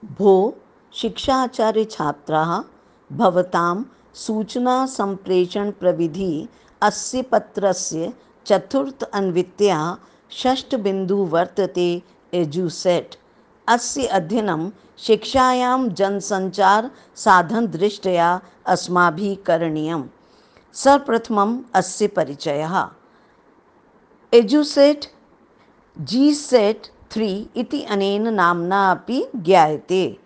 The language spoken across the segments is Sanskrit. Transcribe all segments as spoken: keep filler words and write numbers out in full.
भो शिक्षाचार्य छात्राः भवतां सूचनासम्प्रेषणप्रविधिः अस्य पत्रस्य चतुर्थ अन्वित्या षष्ठबिन्दुः वर्तते एजुसेट्। अस्य अध्ययनं शिक्षायां जनसञ्चारसाधनदृष्ट्या अस्माभिः करणीयम्। सर्वप्रथमम् अस्य परिचयः। एजुसेट् जी सेट् थ्री इति अनेन नाम्ना अपि ज्ञायते।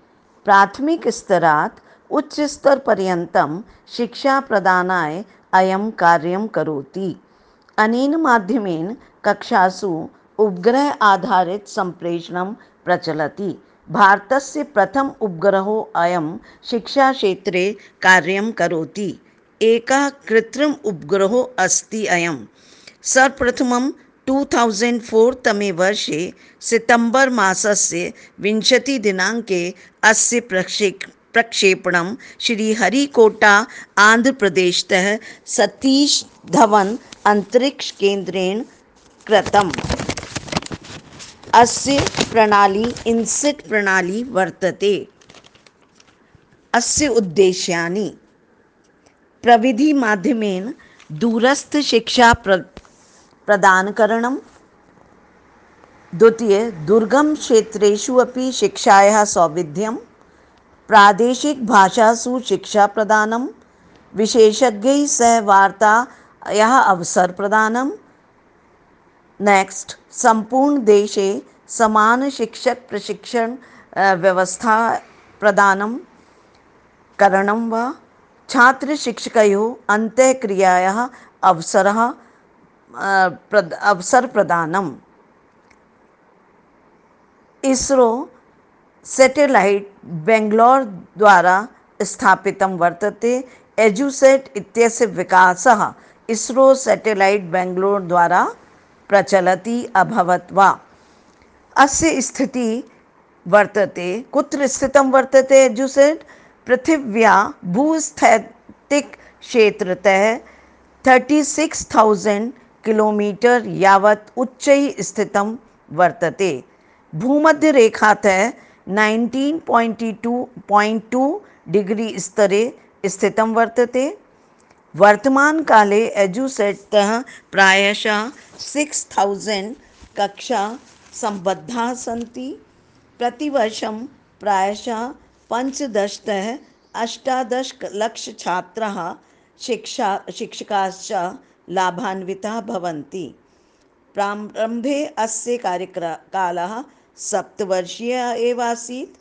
प्राथमिकस्तरात् उच्चस्तरपर्यन्तं शिक्षाप्रदानाय अयं कार्यं करोति। अनेन माध्यमेन कक्षासु उपग्रह आधारितसम्प्रेषणं प्रचलति। भारतस्य प्रथम उपग्रहो अयं शिक्षाक्षेत्रे कार्यं करोति। एकः कृत्रिम उपग्रहो अस्ति अयं। सर्वप्रथमं टु थौसण्ड् फोर् तमे वर्षे सितम्बर् मासस्य विंशतिदिनाङ्के अस्य प्रक्षेक् प्रक्षेपणं श्रीहरिकोटा आन्ध्रप्रदेशतः सतीश धवन अन्तरिक्षकेन्द्रेण कृतम्। अस्य प्रणाली इन्सेट् प्रणाली वर्तते। अस्य उद्देश्यानि प्रविधिमाध्यमेन दूरस्थशिक्षा प्र प्रदानकरणं। द्वितीय दुर्गमक्षेत्रेषु अपि शिक्षायाः सौविध्यं। प्रादेशिकभाषासु शिक्षाप्रदानं। विशेषज्ञैः सह वार्तायाः अवसरप्रदानं। नेक्स्ट् सम्पूर्णदेशे समानशिक्षकप्रशिक्षण व्यवस्था प्रदानं करणं वा। छात्रशिक्षकयोः अन्तःक्रियायाः अवसरः प्रद अवसरप्रदानम्। इसरो सेटेलैट् बेङ्ग्लोर् द्वारा स्थापितं वर्तते। एजुसेट् इत्यस्य विकासः इसरो सेटेलैट् बेङ्ग्लोर् द्वारा प्रचलति अभवत् वा। अस्य स्थितिः वर्तते, कुत्र स्थितं वर्तते एजुसेट्? पृथिव्याः भूस्थैतिकक्षेत्रतः थर्टि सिक्स् थौसण्ड् किलोमीटर् यावत् उच्चैः स्थितं वर्तते। भूमध्यरेखातः nineteen point two point two degree स्तरे स्थितं वर्तते। वर्तमानकाले एजुसेट्तः प्रायशः सिक्स् थौसण्ड् कक्षाः सम्बद्धाः सन्ति। प्रतिवर्षं प्रायशः पञ्चदशतः अष्टादशलक्षछात्राः शिक्षा शिक्षकाश्च लाभान्विताः भवन्ति। प्रारम्भे अस्य कार्यकालः सप्तवर्षीयः एव आसीत्।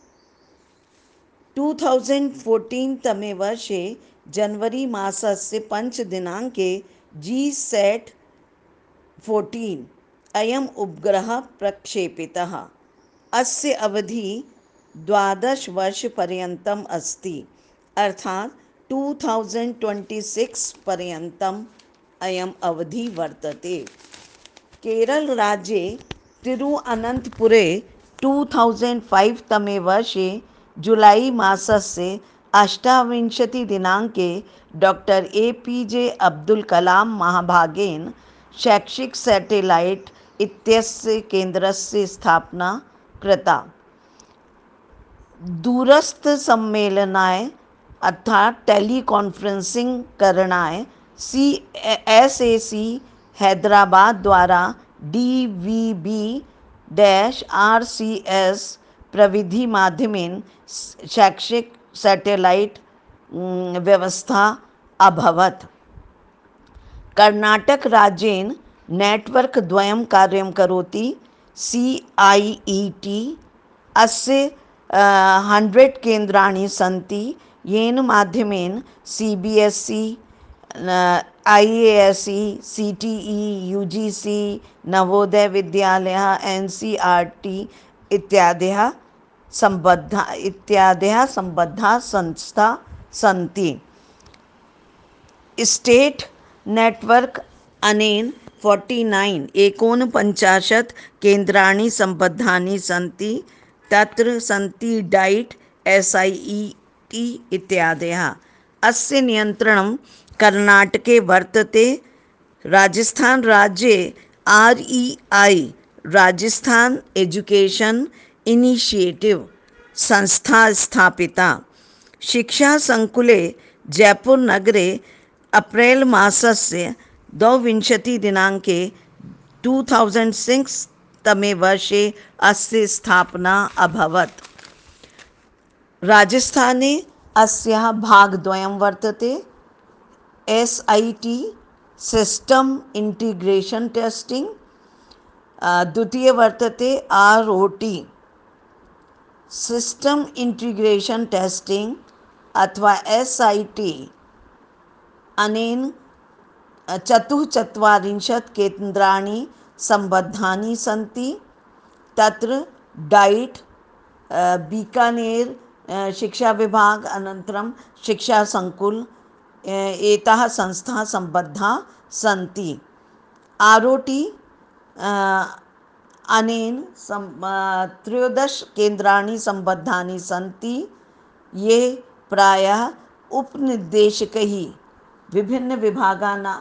टु थौसण्ड् फोर्टीन् तमे वर्षे जनवरी मासस्य पञ्चदिनाङ्के जी सेट् फोर्टीन् अयम् उपग्रहः प्रक्षेपितः। अस्य अवधिः द्वादशवर्षपर्यन्तम् अस्ति, अर्थात् टु थौसण्ड् ट्वेण्टि सिक्स् पर्यन्तम् अयम् अवधिः वर्तते। केरलराज्ये तिरुअनन्तपुरे टु थौसण्ड् फैव् तमे वर्षे जुलै मासस्य अष्टाविंशतिदिनाङ्के doctor A P J Abdul Kalam महाभागेन शैक्षिक सेटेलैट् इत्यस्य केन्द्रस्य स्थापना कृता। दूरस्थसम्मेलनाय अर्थात् टेलीकान्फरेन्सिङ्ग् करणाय C S A C Hyderabad द्वारा D V B dash R C S प्रविधि माध्यमेन शैक्षिक सैटेलाइट व्यवस्था अभवत्। कर्नाटक राज्येन नेटवर्क द्वयं कार्यं करोति। सी आई ई टी अस्य हण्ड्रेड् केन्द्राणि सन्ति, येन माध्यमेन C B S E, I A S E, C T E, U G C, Navodaya विद्यालयः, एन सी आर टी इत्यादयः सम्बद्धाः इत्यादयः सम्बद्धाः संस्थाः सन्ति। स्टेट् नेट्वर्क् अनेन फोर्टि नैन् एकोनपञ्चाशत् केन्द्राणि सम्बद्धानि सन्ति। तत्र सन्ति डैट्, एस् ऐ ई टी इत्यादयः। अस्य नियन्त्रणं कर्नाटके वर्तते। राजस्थान राज्ये R E I Rajasthan education initiative संस्था स्थापिता। शिक्षासङ्कुले जयपुरनगरे अप्रैल् मासस्य द्वाविंशतिदिनाङ्के टु थौसण्ड् सिक्स् तमे वर्षे अस्य स्थापना अभवत्। राजस्थाने अस्याः भागद्वयं वर्तते। S I T system integration testing, द्वितीय वर्तते R O T system integration testing अथवा एस् ऐ टि। अनेन चतुश्चत्वारिंशत् केन्द्राणि सम्बद्धानि सन्ति। तत्र डैट्, बीकानेर् शिक्षाविभाग, अनन्तरं शिक्षासङ्कुल्, एताः संस्थाः सम्बद्धाः सन्ति। आर् ओ टि अनेन सं त्रयोदश केन्द्राणि सम्बद्धानि सन्ति, ये प्रायः उपनिर्देशकैः विभिन्नविभागानां